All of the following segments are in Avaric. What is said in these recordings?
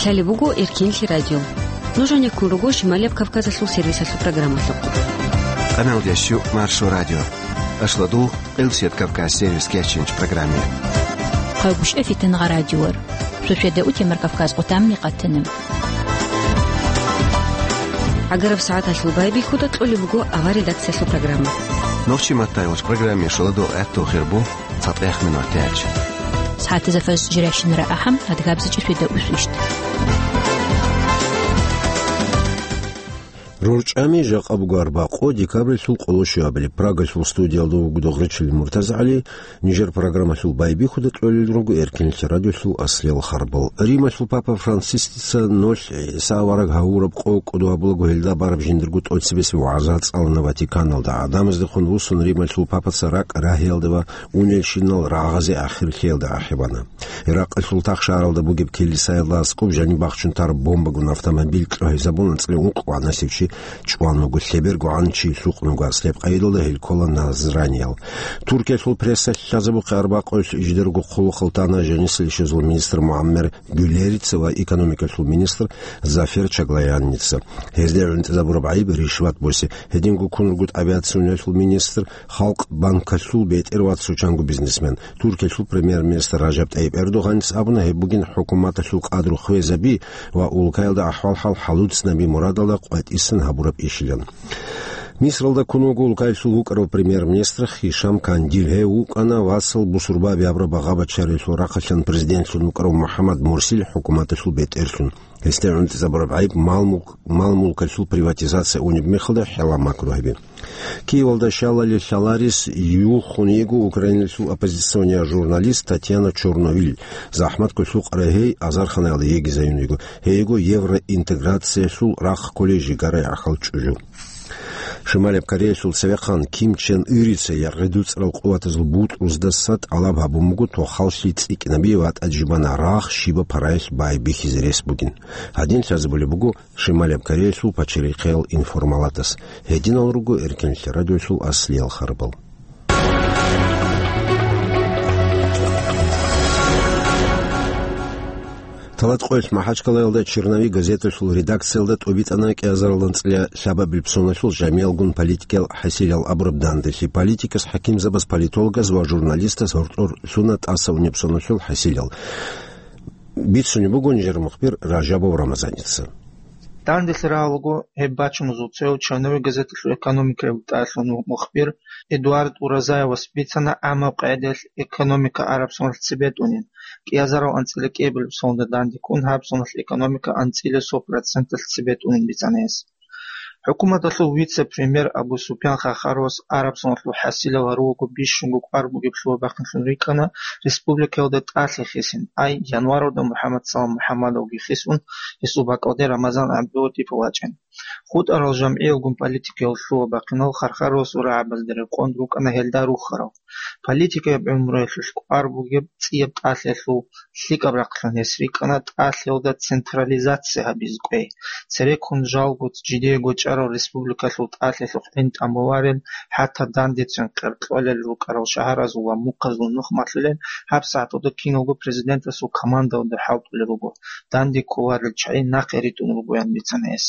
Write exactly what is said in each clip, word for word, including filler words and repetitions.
Гьале буго Эркинлъи радио. Нуж гьанеккун руго Шималияб Кавказалъул сервисалъул программалъухъ. Къаналдящу Маршо радио. Ашладул Къилсият Кавказ сервис кечинч программе. Хъайгъуш эфитан гъа радиор. Суседа утемар Кавказ къутамни къатана. Агараб сагӀаталъул байбихьуда кьолеб буго авар редакциялъул программа. Нохчи маттайгъуш программе шаладул гӀатту хирбу. ЦатӀех минут тяч. СагӀатазда фарз жиращинара ахӀам, адгабзичӀи светда усвищт. РорчӀами жакъа буго арбакъо декабрилъул къоло щуабилеб. Прагалъул студиялда вуго Догъричилин МуртазагӀали. Нижер программалъул байбихьуда кьолел руго Эркинлъи радиолъул аслиял харбал. Рималъул папа Францисица нолъ ГӀиса авараг гьавураб къо кӀодо гьабулаго гьелда бараб жиндирго тӀоцебесеб вагӀза цӀалана Ватиканалда. ГӀадамаздехун вуссун Рималъул папаца ракӀ рагьиялда ва унелщинал рагъазе ахирлъиялда ахӀи бана. Иракъалъул тахшаралда бугеб килисаялда аскӀоб жаниб бахчун тараб бомбагун автомобиль кьогьезабун анцӀила ункъ вагӀнасев чи чӀван вуго, лъеберго гӀан чи лъукъун вуго аслияб къайдалда гьел ккола назраниял. Туркиялъул пресса лъазабухъе арбакъоялъ жидерго хъулухъал тана жанисел щвезул министр МугӀаммер Гюлерица ва экономикалъул министр Зафер Чаглаянница. Гьезда гӀунтӀизабураб гӀайиб ришват босе. Гьединго ккун руго тӀабигӀат-суналъул министр, Халкъ банкалъул бетӀер ва цо чанго бизнесмен. Туркиялъул премьер-министр Ражаб ТӀайиб Эрдогъанис абуна, гьеб бугин хӀукуматалъул къадру хвезаби ва улкаялда ахӀвал-хӀал хӀалуцӀцӀинаби мурадалда къватӀисан гьабураб ишилан. Мисралда ккун вуго улкаялъул вукӀарав премьер-министр Хишам Кандил. Гьев вукӀана вацал бусурбаби абураб багъа-бачарилъул рахъалъан президентлъун вукӀарав МухӀаммад Мурсил хӀукуматалъул бетӀерлъун. Гьесда гӀунтӀизабураб гӀайиб мал-мулк-, мал-мулкалъул приватизация унеб мехалда хӀела макру гьаби. Киевалда щалали лъаларес юхун йиго Украиналъул оппозиционияв журналист Татьяна Чорновил. ЗахӀматго лъукъарай гьей азарханаялда йигизаюн йиго. Гьей йиго евроинтеграциялъул рахъ кколей жигарай гӀахьал чӀужу. Шималияб Кореялъул цевехъан Ким Чен Ырица яргъи дуцӀарал къуватазул бутӀруздаса тӀалаб гьабун буго тохаллъи цӀикӀкӀинабизе ва тӀаде жибана рагъ щибаб параялъ байбихьизе рес бугин. Гьадин лъазабулеб буго Шималияб Кореялъул пачалихъиял информалатас. Гьединал руго Эркинлъи радиолъул аслиял харбал. Талат къоялъ МахӀачкъалаялда «Черновик» газеталъул редакциялда тӀубитӀана кӀиазаралда анцӀила лъабабилеб соналъул жамиялгун политикиял хӀасилал абураб данделъи. Политикас, хӀакимзабаз, политологаз ва журналистаз гьоркьор лъуна тӀаса унеб соналъул хӀасилал. Бицунеб буго нижер мухбир Ражабов Рамазаница. Данделъи рагӀулаго гьеб бачуназул цояв «Черновик» газеталъул экономикаялда тӀалъун мухбир Эдуард Уразаевас бицана, гӀаммаб къагӀидаялъ экономика араб соналъ цебетӀунин, кӀиазарал анцӀила кӀиабилеб соналда данде ккун гьаб соналъ экономика анцӀила сто проценталъ цебетӀунин бицана гьес. ХӀукуматалъул вице-премьер Абу Супьян Хархаровас араб соналъул хӀасилал гьарулаго бищунго кӀвар бугеб лъугьа-бахъинлъун рикӀкӀана республикаялда тӀалъи хисин, ай, январалда МухӀаммад Салам МухӀаммадовги хисун, гьесул бакӀалде Рамазан ГӀабдулатипов вачӀин. ХутӀарал жамгӀиялгун политикаялъул лъугьа-бахъинал Хархаровасул рагӀабазда рекъон рукӀана гьелда рухьарал. Политикаяб гӀумруялъулъ кӀвар бугеб цӀияб тӀалъиялъул лъикӀаб рахълъун гьес рикӀкӀана тӀалъиялда централизация гьабизе кӀвей. Цереккун жалго жидее гочӀарал республикалъул тӀалъиялъухъ гӀин тӀамуларел, хӀатта дандечӀин къеркьолел рукӀарал шагьаразул ва мухъазул нух малъулел, гьабсагӀаталда киналго президентасул командалда хӀалтӀулел руго, данде кколарел чагӀи нахъе ритӀун ругоян бицана гьес.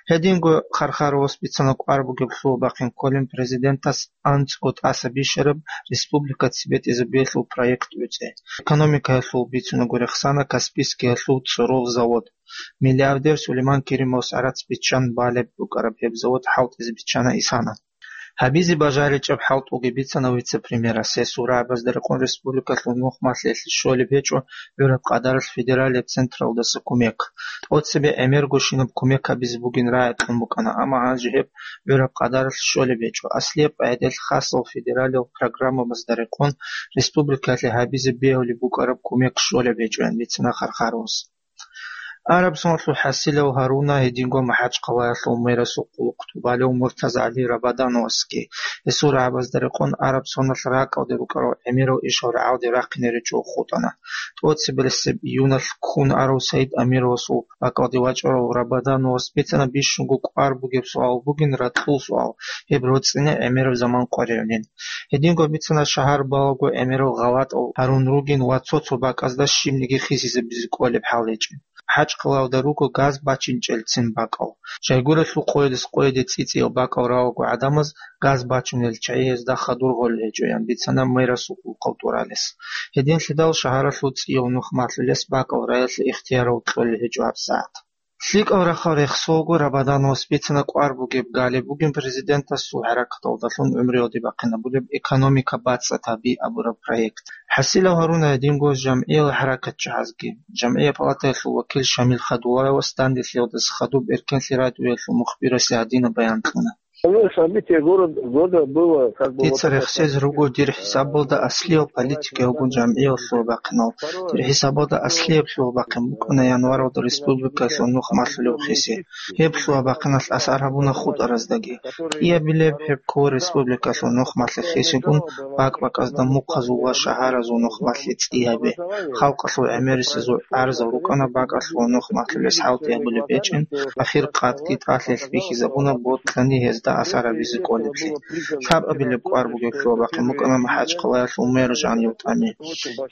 Гьединго Хархаровас бицана кӀвар бугеб лъугьа-бахъин кколин президентас анцӀго тӀаса бищараб республика цебетӀизабиялъул проект гӀуцӀи. Экономикаялъул бицунаго рехсана Каспийскиялъул цӀоров завод. Миллиардер Сулейман Керимовас гӀарац биччан балеб букӀараб гьеб завод хӀалтӀизе биччана исана. Гьабизе бажаричӀеб хӀалтӀулги бицана вице-премьерас, гьесул рагӀабазда рекъон республикалъул нух малъиялъе щолеб гьечӀо гӀураб къадаралъ федералияб централдаса кумек. ТӀоцебе гӀемергощинаб кумек гьабизе бугин рагӀи кьун букӀана, амма гьанже гьеб гӀураб къадаралъ щолеб гьечӀо. Аслияб къагӀидаялъ хасал федералиял программабазда рекъон республикалъе гьабизе бегьулеб букӀараб кумек щолеб гьечӀоян бицана Хархаровас. Араб соналъул хӀасилав гьаруна гьединго МахӀачкъалаялъул мэрасул хъулухъ тӀубалев МуртазагӀали Рабадановасги. Гьесул рагӀабазда рекъон араб соналъ ракӀалде рукӀарал гӀемерал ишал рагӀалде рахъине ричӀого хутӀана. ТӀоцебесеб июналъ ккун арав Саид Амировасул бакӀалде вачӀарав Рабадановас бицана бищунго кӀвар бугеб суал бугин ракьул суал, гьеб роцӀцӀине гӀемераб заман къваригӀунин. Гьединго бицана шагьар балаго гӀемерал гъалатӀал гьарун ругин ва цо-цо бакӀазда щибниги хисизабизе кӀолеб хӀал гьечӀин. ХӀачкъалаялда руго газ бачинчӀелцин бакӀал. Жайгурелъул къоялъ къояде цӀицӀиял бакӀал раваго гӀадамаз газ бачунел чагӀи гьезда хадур гъолел гьечӀоян бицана мэрасул улкъав тӀуралес. Гьединлъидал шагьаралъул цӀияв нух малъулес бакӀал раялъе ихтиярал кьолел гьечӀо гьабсагӀат. ЛъикӀал рахъал рехсолго Рабадан вас бицана кӀвар бугеб галеб бугин президентасул хӀаракаталдалъун гӀумруялде бахъинабулеб «Экономика бацӀцӀад гьаби» абураб проект. ХӀасилав гьаруна гьединго жамгӀиял хӀаракатчагӀазги. ЖамгӀия палатаялъул вакил Шамил Хадулаевас данделъиялдаса хадуб Эркенлъи радиоялъул мухбирасе гьадинаб баян кьуна. Ну, событие город-, года было, как бы, вот Дица это рехсез самое. Руго дир хӀисабалда аслияв политика буго жамгӀиял лъугьа-бахъинал. Дир хӀисабалда аслияб лъугьа-бахъин букӀана январалда республикалъул нух малъулев хиси. Гьеб лъугьа-бахъиналъ асар гьабуна хутӀараздаги. КӀиабилеб гьеб ккола республикалъул нух малъи хисигун, бакӀ-бакӀазда мухъазул ва шагьаразул нух малъи цӀи гьаби. Халкъалъул гӀемерисезул гӀарзал рукӀана бакӀалъул нух малъулес хӀалтӀи гьабулеб гьечӀин, ахир къадги тӀалъилъ бихьизабуна ботлъани гьезда асар гьабизе кӀолеблъи. Лъабабилеб кӀвар бугеб лъугьа-бахъин букӀана МахӀачхъалаялъул мэр жанив тӀами.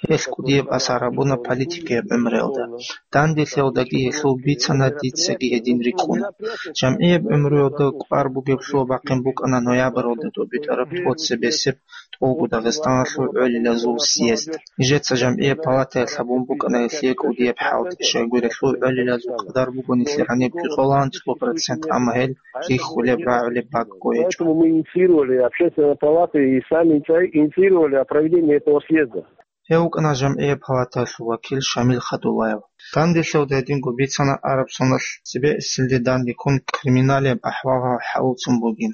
Гьелъ кӀудияб асар гьабуна политикияб гӀумруялда. Данделъиялдаги гьелъул бицана, дицаги гьедин рикӀкӀуна. ЖамгӀияб гӀумруялда кӀвар бугеб лъугьа-бахъин букӀана ноябралда тӀобитӀараб тӀоцебесеб тӀолго Дагъистаналъул гӀолилазул съезд. Нижеца жамгӀияб палатаялъ гьабун букӀана гьелъие кӀудияб хӀалтӀи, щайгурелъул гӀолилазул къадар буго нилъер гьаниб кӀикъоялда цо процент, амма гьел рихьулеб, рагӀулеб бакӀго гьечӀо. Поэтому мы инициировали, общественная палата и сами инициировали о проведении этого съезда. Гьев вукӀана жамгӀияб палатаялъул вакил Шамил Хадулаев. Данделъиялда гьединго бицана араб соналъ цебе эсилде данде ккун криминалияб ахӀвал хӀалуцун бугин.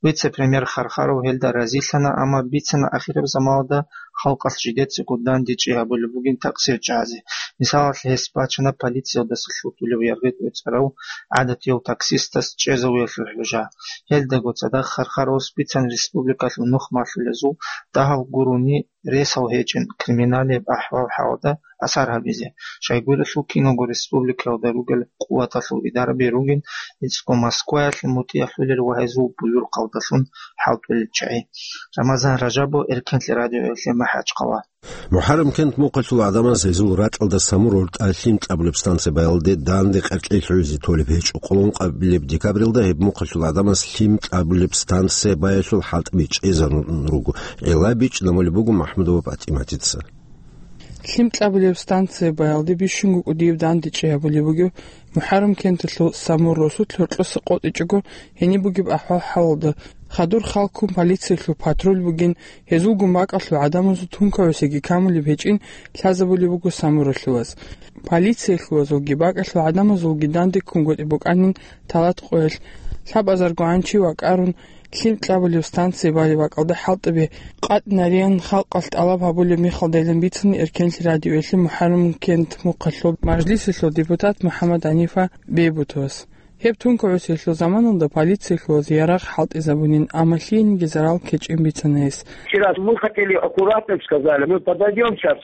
Вице-премьер Хархаров гьелда разилъана, амма бицана ахираб заманалда халкъалъ жидецаго дандечӀи гьабулеб бугин такъсирчагӀазе. Мисалалъ, гьес бачана полициялдаса лъутулев яргъи тӀоцӀарав гӀадатияв таксистас чӀезавиялъул хӀужа. Гьелдаго цадахъ Хархаровас бицана республикалъул нух малъулезул дагьав гурони ресал гьечӀин криминалияб ахӀвал-хӀалда асар гьабизе. Щайгурелъул киналго республикаялда ругел къуваталъул идараби ругин, гьецӀго Москваялъе мутӀигӀлъулел ва гьезул буюрхъалдалъун хӀалтӀулел чагӀи. Рамазан Ражабов, Эркенлъи радиоялъе, МахӀачхъала. МухӀаррам-кент мухъалъул гӀадамаз гьезул ракьалда Самур гьоркьа лъим кьабулеб станция баялде данде къеркьей лъугӀизе толеб гьечӀо. Къоло ункъабилеб декабрилда гьеб мухъалъул гӀадамаз лъим кьабулеб станция баялъул хӀалтӀаби чӀезарун руго. ГӀелаб бичӀчӀи намулеб буго МахӀмудова ПатӀиматица. Лъим кьабулеб станция баялде бищунго кӀудияб дандечӀи гьабулеб бугеб МухӀаррам-кенталъул Самур росулъ гьоркьоса къотӀичӀого гьениб бугеб ахӀвал-хӀалалда. Хадур халккун полициялъул патруль бугин, гьезулгун бакӀалъул гӀадамазул тункабасеги камулеб гьечӀин лъазабулеб буго Самуралъуваз. Полициялъувазулги бакӀалъул гӀадамазулги данде ккун гъоркье букӀанин талат къоялъ. Лъабазарго гӀанчи вакӀарун, лъим кьабулеб станция балеб бакӀалда хӀалтӀаби къотӀинарин халкъалъ тӀалаб гьабулеб мехалдайилан бицана Эркенлъи радиоялъе МухӀаррам-кент мухъалъул мажлисалъул депутат МухӀаммад ГӀанифа Бейбутовас. Гьеб тункабасеялъул заманалда полициялъуваз ярагъ хӀалтӀизабунин, амма лъиениги зарал ккечӀин бицана гьес. Вчера мы хотели аккуратно, сказали, мы подойдём сейчас,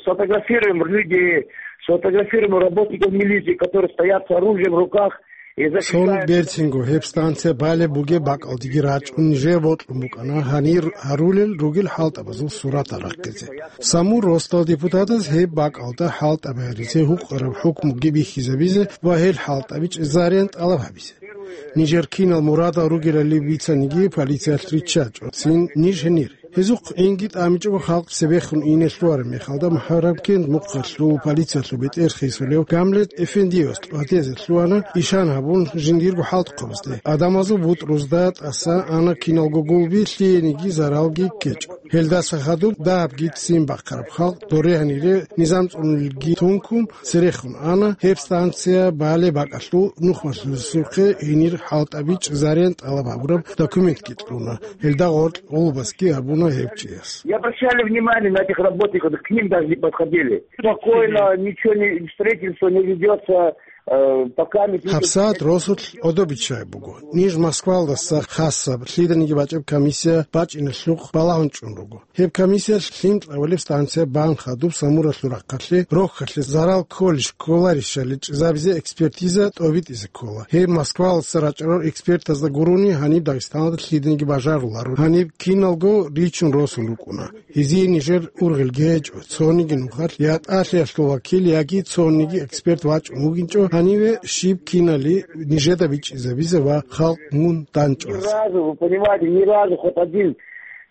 сфотографируем людей, сфотографируем работников милиции, которые стоят с оружием в руках и Цо нух защищают. Берцинго гьеб станция балеб бугеб бакӀалдеги рачӀун нижее бокьун букӀана гьанир гьарулел ругел хӀалтӀабазул суратал рахъизе. Самур росдал депутатаз гьеб бакӀалда хӀалтӀаби гьаризе, гьукъараб хӀукмуги бихьизабизе ва гьел хӀалтӀаби чӀезареян тӀалаб гьабизе. Нижер кинал мурадал ругелали бицаниги, полициялъ риччачӀо цин ниж гьенир. Гьезухъ гӀинги тӀамичӀого халкъ цебехун ине лъугьараб мехалда, МухӀаррам-кент мухъалъул полициялъул бетӀер хисулев Гамлет Эфендиевас тӀватезе лъугьана, ишан гьабун, жиндирго хӀалтӀухъабазде. Адамазул бутӀрузда тӀаса ана киналго гулби, лъиениги заралги ккечӀо. Гьелдаса хадуб дагьабги ццин бахъараб халкъ, доре гьанире низам цӀунулелги тункун, церехун ана, гьеб станция балеб бакӀалъул нухмалъулесухъе гьенир хӀалтӀаби чӀезареян тӀалаб гьабураб документги кьуна. Гьелда гъоркь гъолбасги гьабуна гьев чияс. Не обращали внимания на этих работников, к ним даже не подходили. Спокойно, ничего не, строительство не ведётся. Э, пока мы пишем ГьабсагӀат росулъ гӀодобиччай буго. Ниж Москвалдаса хасаб лъиданиги бачӀеб комиссия бачӀиналъухъ балагьун чӀун руго. Гьеб комиссиялъ лъим кьабулеб станция бан хадуб Самуралъул рахъалъе рохьалъе зарал кколищ кколарищали чӀезабизе экспертиза тӀобитӀизе ккола. Гьеб Москвалдаса рачӀарал экспертазда гурони гьаниб Дагъистаналда лъиданиги бажаруларо. Гьаниб киналго ричун росун рукӀуна. Гьезие нижер ургъелги гьечӀо, цониги нухалъ я тӀалъиялъул вакил, яги цониги эксперт вачӀун вугинчӀо, гьаниве щиб кинали нижеда бичӀчӀизабизе ва халкъ мун данчӀвазе. Ни разу, вы понимаете, ни разу хоть один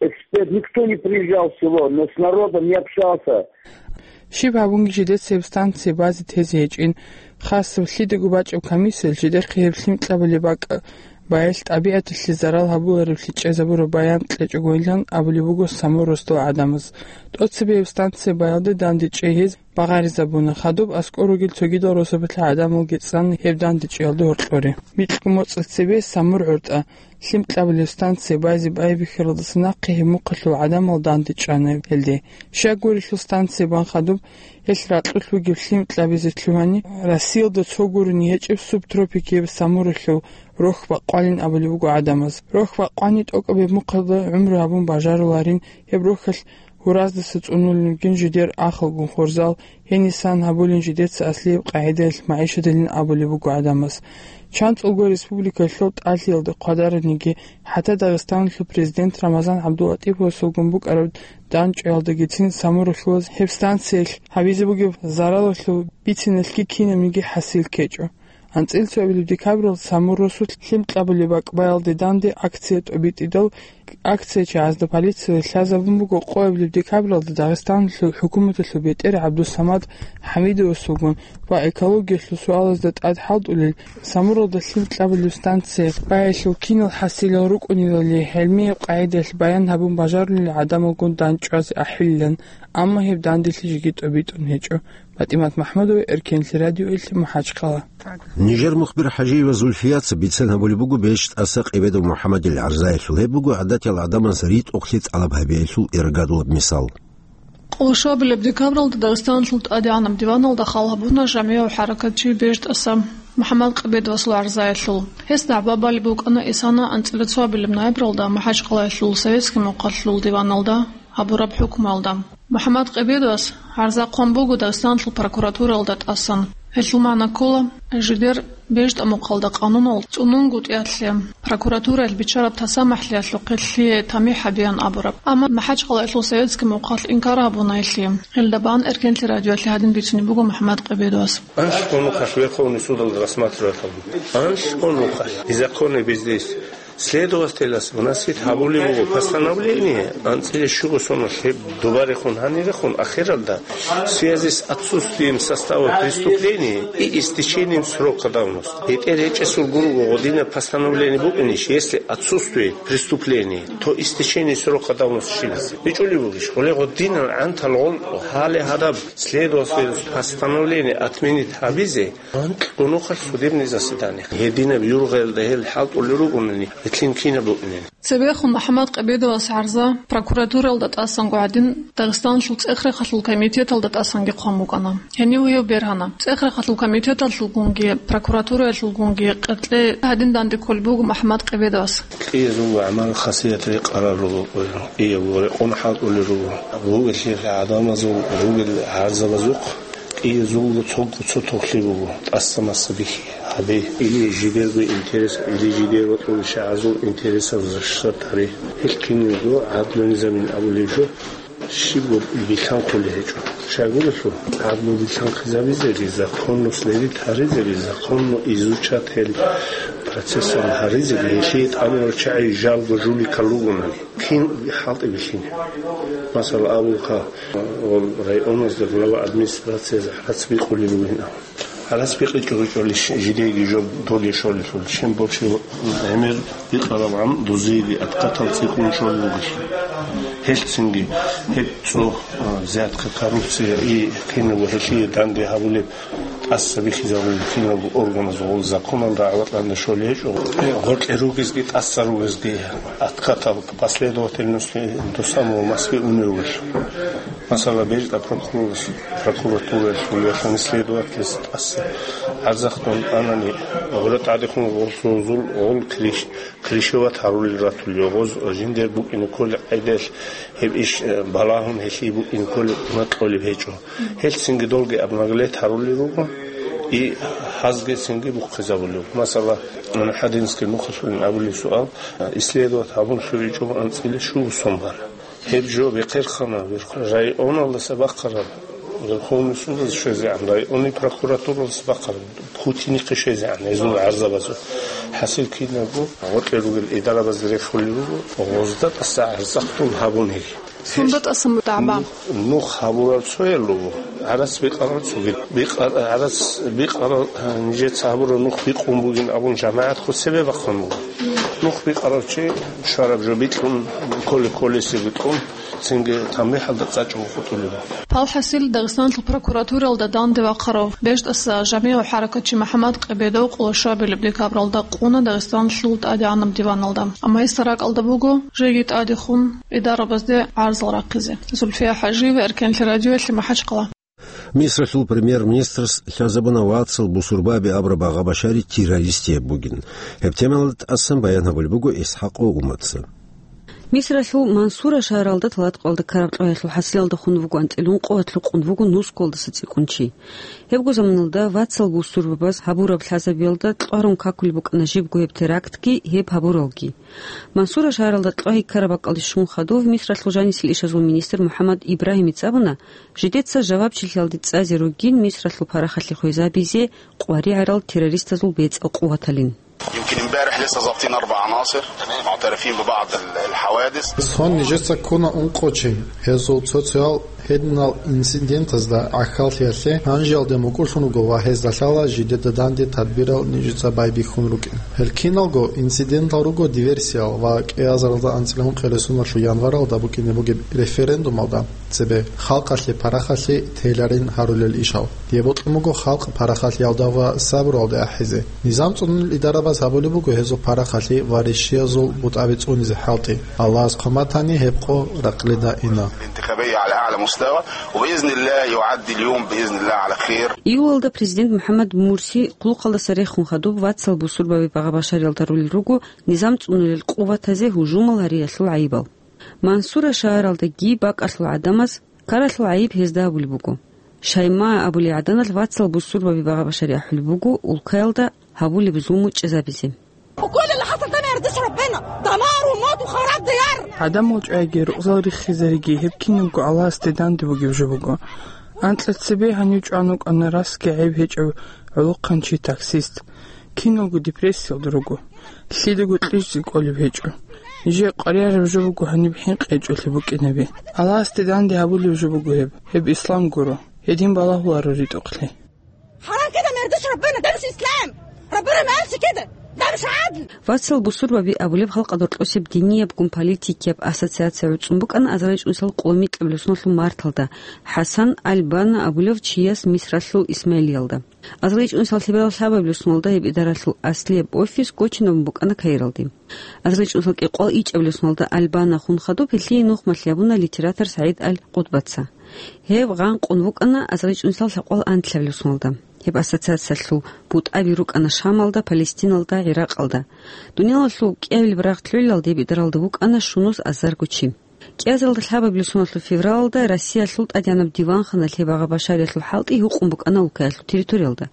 эксперт, никто не приезжал в село, но с народом не общался. Щиб гьабунги жидеца гьеб станцие базе тезе гьечӀин. Хасаб лъидаго бачӀаб комиссиялъ жидехъе гьеб лъим кьабулеб бакӀ баялъ тӀабигӀаталъе зарал гьабулареблъи чӀезабураб баян кьечӀогойилан абулеб буго Самур росдал гӀадамаз. ТӀоцебе гьеб станция баялде дандечӀей гьез багъаризабуна, хадуб аскӀор ругел цогидал росабалъа гӀадамалги цӀан гьеб дандечӀиялда гьоркьоре. Микьго моцӀалъ цебе Самур гӀортӀа лъим кьабулеб станция байзе байбихьаралдаса нахъе гьеб мухъалъул гӀадамал дандечӀана гьелде. Щай гурелъул станция бан хадуб гьелъ ракьулъ вугеб лъим кьабизе лъугьани, Россиялда цо гурони гьечӀеб субтропикияб Самуралъул рохь бакъвалин абулеб буго гӀадамаз. Рохь бакъвани тӀокӀаб гьеб мухъалда гӀумру гьабун бажаруларин, гьеб рохьалъ гьураздаса цӀунулин ругин жидер ахалгун хурзал, гьенисан гьабулин жидеца аслияб къагӀидаялъ магӀишаталин абулеб буго гӀадамаз. ЧанцӀулго республикалъул тӀалъиялда хъвадараниги, хӀатта Дагъистаналъул президент Рамазан ГӀабдулатӀиповасулгун букӀараб данчӀваялдагицин Самуралъулаз гьеб станциялъ гьабизе бугеб заралалъул бициналъги кинабниги хӀасил ккечӀо. АнцӀила цоабилеб декабралда Самур росулъ лъим кьабулеб бакӀ баялде данде акция тӀобитӀидал, акция чагӀазда полициялъ лъазабун буго къоабилеб декабралда Дагъистаналъул хӀукуматалъул бетӀер ГӀабдусамад ХӀамидовасулгун ва экологиялъул суалазда тӀад хӀалтӀулел, Самуралда лъим кьабулеб станция баялъул кинал хӀасилал рукӀунелали гӀилмияб къагӀидаялъ баян гьабун бажарулел гӀадамалгун данчӀвазе ахӀилилан, амма гьеб данделъи жеги тӀобитӀун гьечӀо. ПатӀимат МахӀмудова, Эркенлъи радиоялъе, МахӀачхъала. Нижер мухбир ХӀажиева Зульфияца бицен гьабулеб буго БещтӀаса Къебедов МухӀамадил гӀарзаялъул. Гьеб буго гӀадатиял гӀадамаз ритӀухълъи тӀалаб гьабиялъул иргадулаб мисал. Къоло щуабилеб декабралда Дагъистаналъул ТӀадегӀанаб диваналда хал гьабуна жамигӀав хӀаракатчи БещтӀаса МухӀамад Къебедовасул гӀарзаялъул. Гьес дагӀба балеб букӀана исана анцӀила цоабилеб ноябралда МахӀачхъалаялъул Советский мухъалъул диваналда гьабураб хӀукмуялда. МухӀамад Къебедовас гӀарза хъван буго Дагъистаналъул прокуратуралда тӀасан. Гьелъул магӀна ккола, жидер БещтӀа мухъалда къанунал цӀунунгутӀиялъе прокуратураялъ биччараб тасамахӀлъиялъухъе лъие тамихӀ гьабеян абураб. Амма МахӀачхъалаялъул Советский мухъалъ инкар гьабуна гьелъие. Гьелда бан Эркенлъи радиоялъе гьадин бицунеб буго МухӀамад Къебедовас. Анщ хъун вухъалъ Верховный судалда рассматривать гьабун. Анщ хъун вухъалъ. Незаконный бездействие. Следователас выносить гьабулеб буго постановление, анцӀила щуго соналъ гьеб дубарехун гьанирехун, ахиралда, в связи с отсутствием состава преступления и истечением срока давности. БетӀер гьечӀесул гурого гъодинаб постановление букӀинищ, если отсутствует преступление, то истечение срока давности щибизе. БичӀулеб бугищ, гъоле гъодинал гӀантал гъунтӀу гьале гьадаб следователас постановление отменить гьабизе, анкьго нухалъ судебный заседание. Гьединаб юргъаялда гьел хӀалтӀулел ругонани, гьелъин кинаб букӀинин. Цебехун МухӀамад Къебедовас гӀарза прокуратуралда тӀасанго гьадин Дагъистаналъул ЦӀехрахъалъул комитеталда тӀасанги хъван букӀана. Гьенив гьев бергьана. ЦӀехрахъалъул комитеталъулгунги, прокуратураялъулгунги къеркье гьадин данде кколеб буго МухӀамад Къебедовас. КӀиязул гӀамал-хасият рекъарал руго, кӀиябго рекъон хӀалтӀулел руго. Ругелъул гӀадамазул, ругел гӀарзабазухъ кӀиязулго цого цо тохлъи буго, тӀаса-маса бихьи гьабе. Или жидерго интерес, или жидер ва тӀуришагӀазул интересал защищать гьаре. Гьел киналго гӀадлу низамин абулеб жо, щибго билълъанхъулеб гьечӀо. Щайгурелъул, гӀадлу билълъанхъизабизеги, законно следить гьаризеги, законно изучать гьел процессал гьаризеги, гьелъие тӀамурал чагӀи жалго жуликал ругонани. Кин хӀалтӀи бихьине? Масала, абулха, районазда глава администрациязе гӀарац бикъулел ругин абун. ГӀарац бикъичӀого-чӀолищ жидеги жо доле щолелъул, чем больше гӀемер бикъарабгӀан дузеги откатал цӀикӀкӀун щолел ругелъул. Гьелъцинги гьеб цо, а, взятка, коррупция и кинабго гьелъие данде гьабулеб тӀаса бихьизабулеб киналго органазул законалда гӀаватӀанда щолей гьечӀо. Гъоркье ругезги, тӀаса ругезги, откатал последовательности до самого Москвы унев вугелъул. Масала, бежда прокурорас, прокуратураялъул яхъани следователас тӀаса гӀарзахъ дун анани, гъура тӀадехун гъорсозул гъол криш-, кришеват гьарулел ратулел гъоз жиндер букӀине кколел къайдаялъ гьеб иш, э, балагьун гьелъие букӀине кколеб кьолеб гьечӀо. Гьелъ цинги долги обнаглеть гьарулел руго, и гьазги цинги бухъизабулев. Масала, Хадинский нухалъулин абулеб суал, э, исследовать гьабун лъугӀичӀого анцӀила щуго сон бара. Гьеб жо бехъерхъана, бехъ-, районалдаса бахъараб, Верховный судалъ щвезегӀан, районный прокуратуралъ бахъараб, Путинихъе щвезегӀан гьезул гӀарзабазул. ХӀасил кинабго гъоркье ругел идарабазде рехулел руго, гъозда тӀаса гӀарзахъ дун гьабун гьел. Сунда тӀасан бутӀа гӀаба? Нух, нух гьабурал цоял руго, гӀарац бикъарал цоги-, бикъар-, гӀарац бикъарал, а, нижеца гьабурал нух бикъун бугин абун жамагӀат хъу цебе бахъун буго. Нух бикъарав чи щвараб жо бикьун, кколе-кколесеб бикьун, цинги танбихӀалда цӀачӀого хутӀулеб. Палхасил Дагъистаналъул прокуратуралда данде вахъарав бежтӀаса жамигӀав хӀаракатчи МухӀаммад Къебедов къоло щуабилеб декабралда къуна Дагъистаналъул тӀадегӀанаб диваналда. Амма гьесда ракӀалда буго жеги тӀадехун идарабазде гӀарзал рахъизе. Зульфия ХӀажиева, Эркенлъи радиоялъе, МахӀачхъала. Мисралъул премьер-министрас лъазабуна вацал бусурбаби абураб багъа-башари террористияб бугин. Гьеб темалда тӀасан баян гьабулеб буго ИсхӀакъов Уматца. Мисралъул Мансура шагьаралда талатӀкъалда ккараб кьвагьалъул хӀасилалда хун вуго анцӀила ункъо ва лъукъун вуго нусгоялдаса цӀикӀкӀун чи. Гьебго заманалда вацал бусурбабаз гьабураб лъазабиялда кьварун какулеб букӀана жибго гьеб терактги, гьеб гьабуралги. Мансура шагьаралда кьвагьи ккараб бакӀалде щун хадув Мисралъул жанисел ишазул министр МухӀаммад Ибрагьимица абуна, жидеца жавабчилъиялде цӀазе ругин Мисралъул парахалъе хвезабизе къваригӀарал террористазул бецӀал къуваталин. يمكن امبارح لسه ظابطين أربع عناصر معترفين ببعض ال-، الحوادث. Сон нижеца ккуна ункъо чи. Гьезул цо-цоял гьединал инцидентазда гӀахьаллъиялъе гьанжеялде мукӀурлъун руго ва гьезда лъала жидеда данде тадбирал нижеца байбихьун рукӀин. Гьел киналго инцидентал руго диверсиял ва кӀиазаралда анцӀила ункъиялда сунарлъул январалда букӀине бугеб референдумалда цебе халкъалъе парахалъе тейларин гьарулел ишал. Гьеб бокьун буго халкъ парахалъиялда ва сабруялде ахӀизе. Низам цӀунулел идарабаз гьабулеб буго гьезул парахалъи ва ришшиязул бутӀаби цӀунизе хӀалтӀи. Аллагьас хъван батани, гьеб къо ракълида ина. الانتخابية على أعلى مستوى، وبإذن الله يعدي اليوم بإذن الله على خير. Июлалда президент МухӀаммад Мурси хъулухъалдаса рехун хадуб вацал бусурбаби багъа-башариялда рулел руго низам цӀунулел къуватазе гьужумал гьариялъул гӀайибал. Мансура шагьаралдаги бакӀалъул гӀадамаз ккаралъул гӀайиб гьезда гьабулеб буго. Шаймаа абулей гӀаданалъ вацал бусурбаби багъа-башари ахӀулеб буго улкаялда гьабулеб зулму чӀезабизе. وكل اللي حصل ده ما يرضيش ربنا. دمار وموت وخراب ديار. ГӀадамал чӀвайги, рукъзал риххизариги, гьеб кинабго Аллагьасде данде бугеб жо буго. Анкьа цебе гьанив чӀван вукӀана расги гӀеб гьечӀев гӀолохъанчи таксист. Киналго депрессиялда руго. Лъидаго кьижизе кӀолеб гьечӀо. Нижее къваригӀараб жо буго гьаниб хӀинкъи гьечӀолъи букӀинаби. Аллагьасде данде гьабулеб жо буго гьеб. Гьеб ислам гуро. Гьедин балагьуларо ритӀухълъи. حرام كده ما يرضيش ربنا، ده مش إسلام. ربنا ما قالش كده. ده مش عدل. Вацал бусурбаби абулеб халкъалда рокьосеб диниябгун политикияб ассоциация гӀуцӀун букӀана азарилчӀунсал къоло микьабилеб соналъул марталда ХӀасан аль-Банна абулев чияс Мисралъул Исмаилиялда. АзарилчӀунсал лъеберал лъабабилеб соналда гьеб идаралъул аслияб офис гочинабун букӀана Каиралде. АзарилчӀунсал кӀикъоялда ичӀабилеб соналда аль-Банна хун хадуб гьелъие нухмалъи гьабуна литератор СагӀид аль-Къутбаца. Гьев гъанкъун вукӀана азарилчӀунсал лъабкъоялда анлъабилеб соналда. Гьеб ассоциациялъул бутӀаби рукӀана Шамалда, Палестиналда, ГӀиракъалда. Дуниялалъул кӀиабилеб рагъ лъугӀиналда гьеб идаралда вукӀана щунус азарго чи. КӀиазаралда лъабабилеб соналъул февралалда Россиялъул ТӀадегӀанаб диванханалъ гьеб багъа-башариялъул хӀалтӀи гьукъун букӀана улкаялъул территориялда.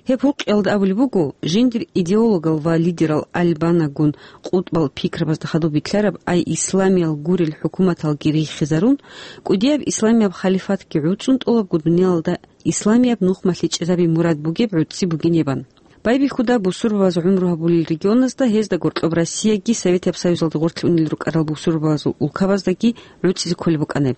Гьеб гьукъиялда абулеб буго, жиндир идеологал ва лидерал аль-Баннагун къутбал пикрабазда хадуб бикьараб, ай исламиял гурел хӀукуматалги риххизарун, кӀудияб исламияб халифатги гӀуцӀун тӀолабго дуниялалда исламияб нухмалъи чӀезаби мурад бугеб гӀуцӀи бугин гьебан. Байбихьуда бусурбабаз гӀумру гьабулел регионазда, гьезда гьоркьоб Россияги Советияб Союзалда гъорлъ унел рукӀарал бусурбабазул улкабаздаги гӀуцӀизе кколеб букӀана гьеб.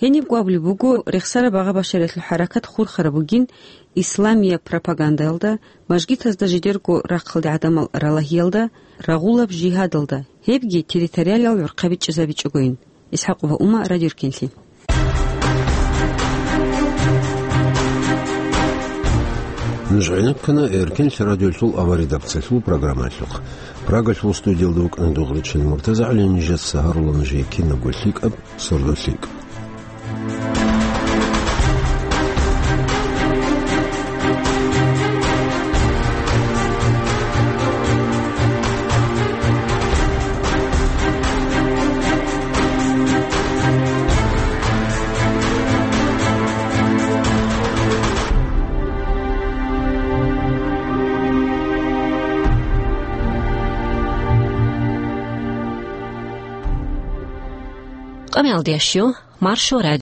Гьенибго абулеб буго, рехсараб багъа-башариялъул хӀаракат хурхараб бугин исламияб пропагандаялда, мажгитазда жидерго рахъалде гӀадамал ралагьиялда, рагъулаб жигьадалда, гьебги территориалиял гӀурхъаби чӀезабичӀогойин. ИсхӀакъова Ума, Радио Эркенлъи. Нуж гӀенеккана Эркенлъи радиолъул аваридабцалъул программаялъухъ. Прагалъул студиялда вукӀана Дугъричин МуртазагӀли, нижеца гьарула нужее кинабго лъикӀаб, сордо лъикӀ. Амалдиящу, Маршо радио.